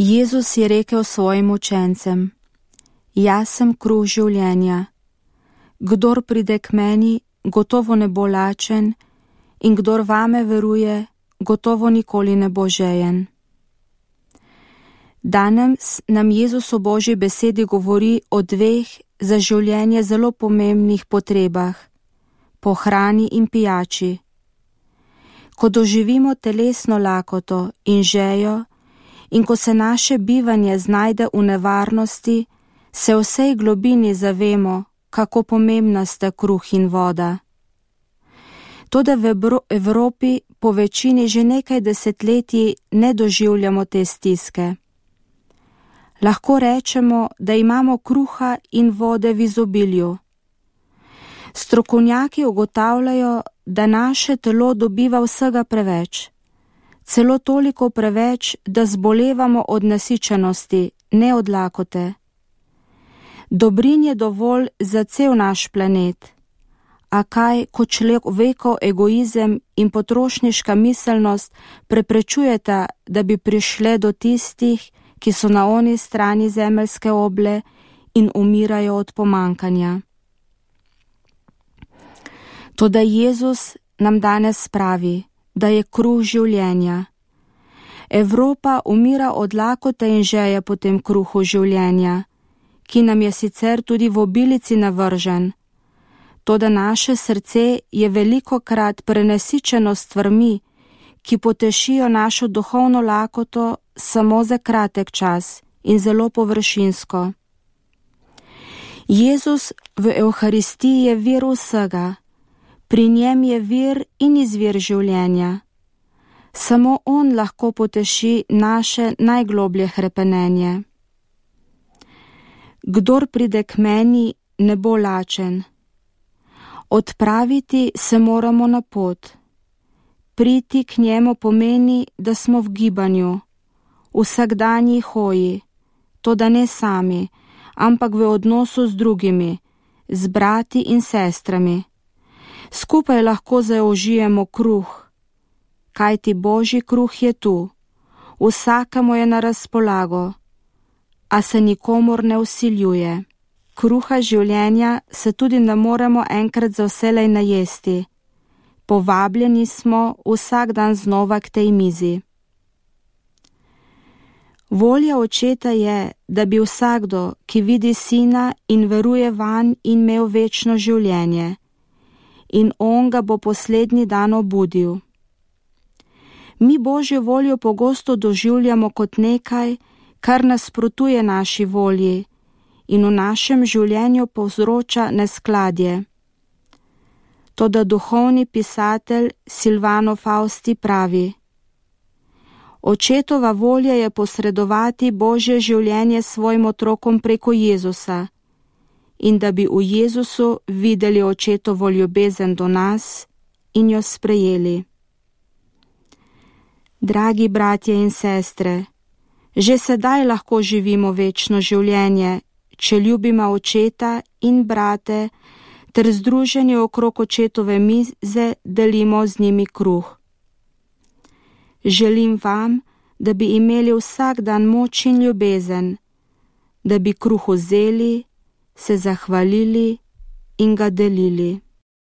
Jezus je rekel svojim učencem: Jaz sem kruh življenja. Kdor pride k meni, gotovo ne bo lačen, in kdor vame veruje, gotovo nikoli ne bo žejen. Danes nam Jezus v Božji besedi govori o dveh za življenje zelo pomembnih potrebah, po hrani in pijači. Ko doživimo telesno lakoto in žejo in ko se naše bivanje znajde v nevarnosti, se v vsej globini zavemo, kako pomembna sta kruh in voda. Toda v Evropi po večini že nekaj desetletij ne doživljamo te stiske. Lahko rečemo, da imamo kruha in vode v izobilju. Strokovnjaki ugotavljajo, da naše telo dobiva vsega preveč. Celo toliko preveč, da zbolevamo od nasičenosti, ne od lakote. Dobrin je dovolj za cel naš planet. A kaj, ko človekov egoizem in potrošniška miselnost preprečujeta, da bi prišle do tistih, ki so na oni strani zemeljske oble in umirajo od pomankanja. Toda Jezus nam danes pravi, da je kruh življenja. Evropa umira od lakote in žeje po tem kruhu življenja, ki nam je sicer tudi v obilici navržen. Toda naše srce je velikokrat prenasičeno s stvarmi, ki potešijo našo duhovno lakoto samo za kratek čas in zelo površinsko. Jezus v Evharistiji je vir vsega, pri njem je vir in izvir življenja. Samo on lahko poteši naše najgloblje hrepenenje. Kdor pride k meni, ne bo lačen. Odpraviti se moramo na pot. Priti k njemu pomeni, da smo v gibanju, vsakdanji hoji, toda ne sami, ampak v odnosu z drugimi, z brati in sestrami. Skupaj lahko zaužijemo kruh, kajti Božji kruh je tu, vsakemu je na razpolago, a se nikomur ne vsiljuje. Kruha življenja se tudi ne moremo enkrat za vselej najesti. Povabljeni smo vsak dan znova k tej mizi. Volja Očeta je, da bi vsakdo, ki vidi Sina in veruje vanj, imel večno življenje, in on ga bo poslednji dan obudil. Mi Božjo voljo pogosto doživljamo kot nekaj, kar nasprotuje naši volji in v našem življenju povzroča neskladje. Toda duhovni pisatelj Silvano Fausti pravi: Očetova volja je posredovati Božje življenje svojim otrokom preko Jezusa in da bi v Jezusu videli Očetovo ljubezen do nas in jo sprejeli. Dragi bratje in sestre, že sedaj lahko živimo večno življenje, če ljubimo Očeta in brate, ter združeni okrog Očetove mize delimo z njimi kruh. Želim vam, da bi imeli vsak dan moč in ljubezen, da bi kruh vzeli, se zahvalili in ga delili.